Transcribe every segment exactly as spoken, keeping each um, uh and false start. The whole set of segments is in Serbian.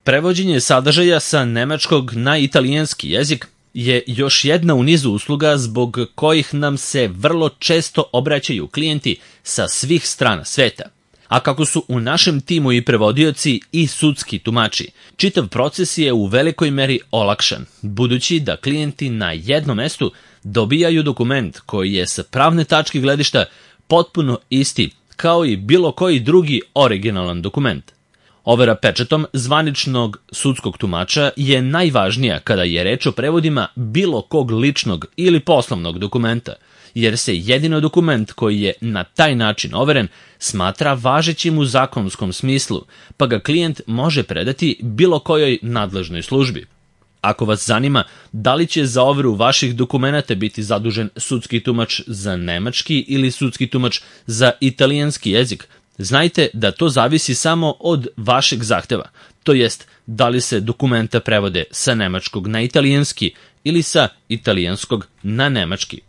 Prevođenje sadržaja sa nemačkog na italijanski jezik je još jedna u nizu usluga zbog kojih nam se vrlo često obraćaju klijenti sa svih strana sveta. A kako su u našem timu i prevodioci i sudski tumači, čitav proces je u velikoj meri olakšan, budući da klijenti na jednom mestu dobijaju dokument koji je sa pravne tačke gledišta potpuno isti kao i bilo koji drugi originalan dokument. Overa pečatom zvaničnog sudskog tumača je najvažnija kada je reč o prevodima bilo kog ličnog ili poslovnog dokumenta, jer se jedino dokument koji je na taj način overen smatra važećim u zakonskom smislu, pa ga klijent može predati bilo kojoj nadležnoj službi. Ako vas zanima da li će za overu vaših dokumenata biti zadužen sudski tumač za nemački ili sudski tumač za italijanski jezik, znajte da to zavisi samo od vašeg zahteva, to jest da li se dokumenta prevode sa nemačkog na italijanski ili sa italijanskog na nemački.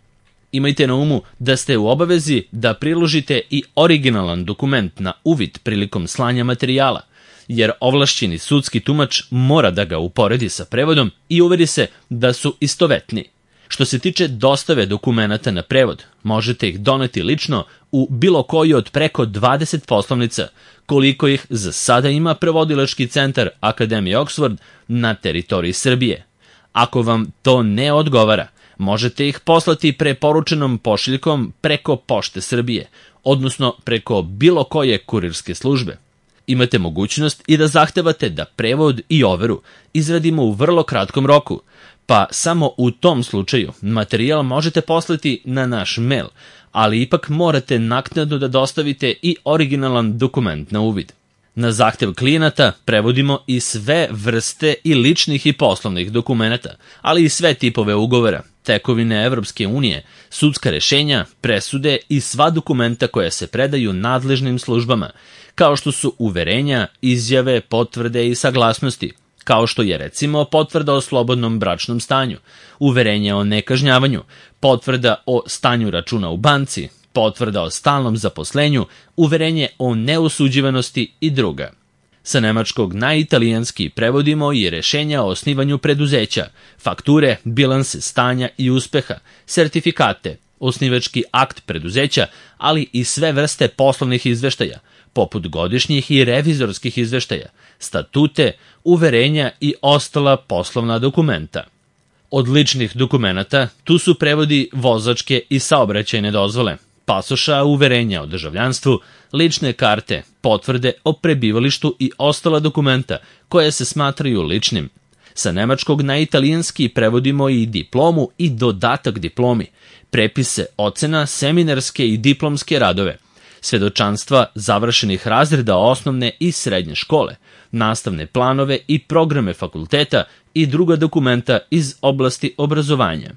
Imajte na umu da ste u obavezi da priložite i originalan dokument na uvid prilikom slanja materijala, jer ovlašćeni sudski tumač mora da ga uporedi sa prevodom i uveri se da su istovetni. Što se tiče dostave dokumenata na prevod, možete ih doneti lično u bilo koji od preko dvadeset poslovnica, koliko ih za sada ima prevodilački centar Akademije Oxford na teritoriji Srbije. Ako vam to ne odgovara, možete ih poslati preporučenom pošiljkom preko Pošte Srbije, odnosno preko bilo koje kurirske službe. Imate mogućnost i da zahtevate da prevod i overu izradimo u vrlo kratkom roku, pa samo u tom slučaju materijal možete poslati na naš mail, ali ipak morate naknadno da dostavite i originalan dokument na uvid. Na zahtev klijenata prevodimo i sve vrste i ličnih i poslovnih dokumenata, ali i sve tipove ugovora, tekovine Evropske unije, sudska rešenja, presude i sva dokumenta koja se predaju nadležnim službama, kao što su uverenja, izjave, potvrde i saglasnosti, kao što je recimo potvrda o slobodnom bračnom stanju, uverenje o nekažnjavanju, potvrda o stanju računa u banci, potvrda o stalnom zaposlenju, uverenje o neosuđivanosti i druga. Sa nemačkog na italijanski prevodimo i rešenja o osnivanju preduzeća, fakture, bilanse stanja i uspeha, sertifikate, osnivački akt preduzeća, ali i sve vrste poslovnih izveštaja, poput godišnjih i revizorskih izveštaja, statute, uverenja i ostala poslovna dokumenta. Od ličnih dokumenata tu su prevodi vozačke i saobraćajne dozvole, pasoša, uverenja o državljanstvu, lične karte, potvrde o prebivalištu i ostala dokumenta koje se smatraju ličnim. Sa nemačkog na italijanski prevodimo i diplomu i dodatak diplomi, prepise ocena, seminarske i diplomske radove, svedočanstva završenih razreda osnovne i srednje škole, nastavne planove i programe fakulteta i druga dokumenta iz oblasti obrazovanja.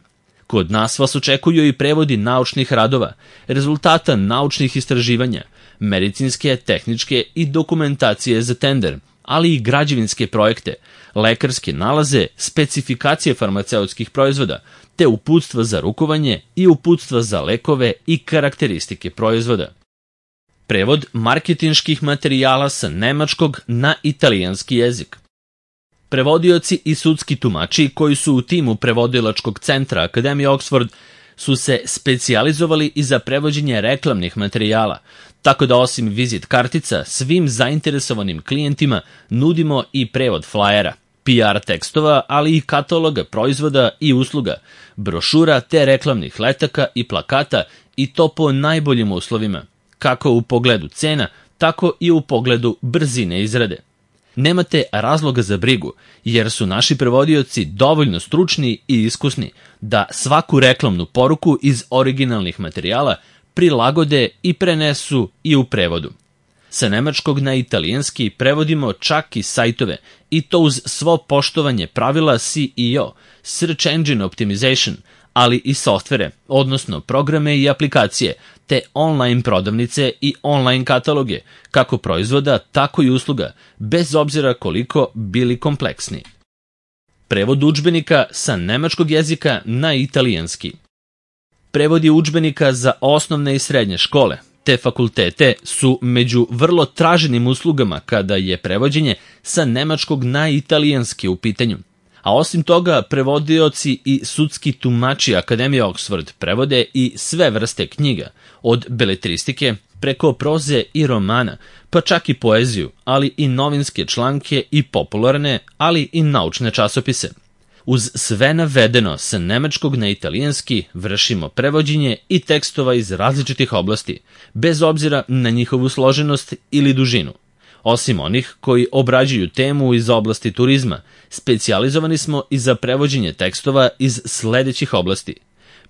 Kod nas vas očekuju i prevodi naučnih radova, rezultata naučnih istraživanja, medicinske, tehničke i dokumentacije za tender, ali i građevinske projekte, lekarske nalaze, specifikacije farmaceutskih proizvoda, te uputstva za rukovanje i uputstva za lekove i karakteristike proizvoda. Prevod marketinških materijala sa nemačkog na italijanski jezik. Prevodioci i sudski tumači koji su u timu prevodilačkog centra Akademije Oxford su se specijalizovali i za prevođenje reklamnih materijala, tako da osim vizit kartica svim zainteresovanim klijentima nudimo i prevod flajera, P R tekstova, ali i kataloga proizvoda i usluga, brošura te reklamnih letaka i plakata, i to po najboljim uslovima, kako u pogledu cena, tako i u pogledu brzine izrade. Nemate razloga za brigu, jer su naši prevodioci dovoljno stručni i iskusni da svaku reklamnu poruku iz originalnih materijala prilagode i prenesu i u prevodu. Sa nemačkog na italijanski prevodimo čak i sajtove, i to uz svo poštovanje pravila S E O, Search Engine Optimization, ali i softvere, odnosno programe i aplikacije, te online prodavnice i online kataloge, kako proizvoda, tako i usluga, bez obzira koliko bili kompleksni. Prevod udžbenika sa nemačkog jezika na italijanski. Prevodi udžbenika za osnovne i srednje škole, Te fakultete su među vrlo traženim uslugama kada je prevođenje sa nemačkog na italijanski u pitanju. A osim toga, prevodioci i sudski tumači Akademije Oxford prevode i sve vrste knjiga, od beletristike preko proze i romana, pa čak i poeziju, ali i novinske članke i popularne, ali i naučne časopise. Uz sve navedeno, sa nemačkog na italijanski vršimo prevođenje i tekstova iz različitih oblasti, bez obzira na njihovu složenost ili dužinu. Osim onih koji obrađuju temu iz oblasti turizma, specijalizovani smo i za prevođenje tekstova iz sledećih oblasti: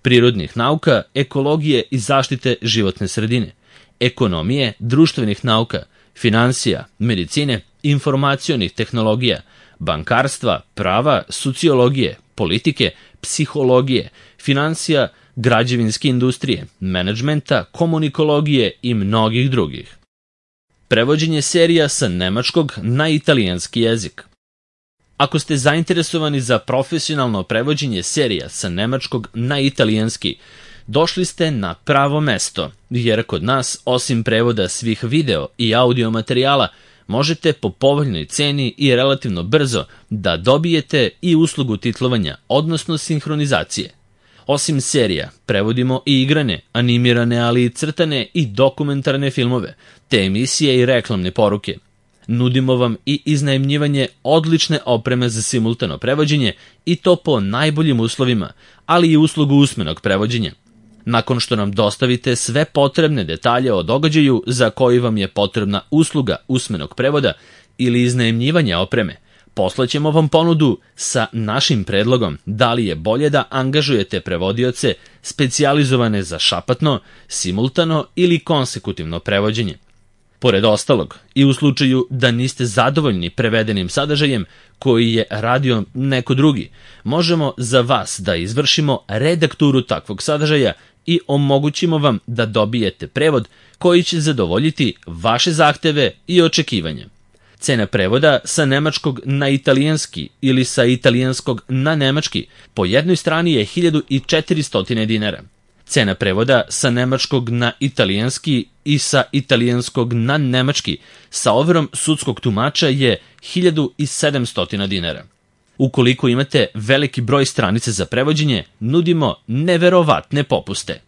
prirodnih nauka, ekologije i zaštite životne sredine, ekonomije, društvenih nauka, finansija, medicine, informacionih tehnologija, bankarstva, prava, sociologije, politike, psihologije, finansija, građevinske industrije, menadžmenta, komunikologije i mnogih drugih. Prevođenje serija sa nemačkog na italijanski jezik. Ako ste zainteresovani za profesionalno prevođenje serija sa nemačkog na italijanski, došli ste na pravo mesto, jer kod nas, osim prevoda svih video i audio materijala, možete po povoljnoj ceni i relativno brzo da dobijete i uslugu titlovanja, odnosno sinhronizacije. Osim serija, prevodimo i igrane, animirane, ali i crtane i dokumentarne filmove, te emisije i reklamne poruke. Nudimo vam i iznajmljivanje odlične opreme za simultano prevođenje i to po najboljim uslovima, ali i uslugu usmenog prevođenja. Nakon što nam dostavite sve potrebne detalje o događaju za koji vam je potrebna usluga usmenog prevoda ili iznajmljivanja opreme, poslaćemo vam ponudu sa našim predlogom da li je bolje da angažujete prevodioce specijalizovane za šapatno, simultano ili konsekutivno prevođenje. Pored ostalog, i u slučaju da niste zadovoljni prevedenim sadržajem koji je radio neko drugi, možemo za vas da izvršimo redakturu takvog sadržaja i omogućimo vam da dobijete prevod koji će zadovoljiti vaše zahteve i očekivanja. Cena prevoda sa nemačkog na italijanski ili sa italijanskog na nemački po jednoj strani je hiljadu četiristo dinara. Cena prevoda sa nemačkog na italijanski i sa italijanskog na nemački sa overom sudskog tumača je hiljadu sedamsto dinara. Ukoliko imate veliki broj stranica za prevođenje, nudimo neverovatne popuste.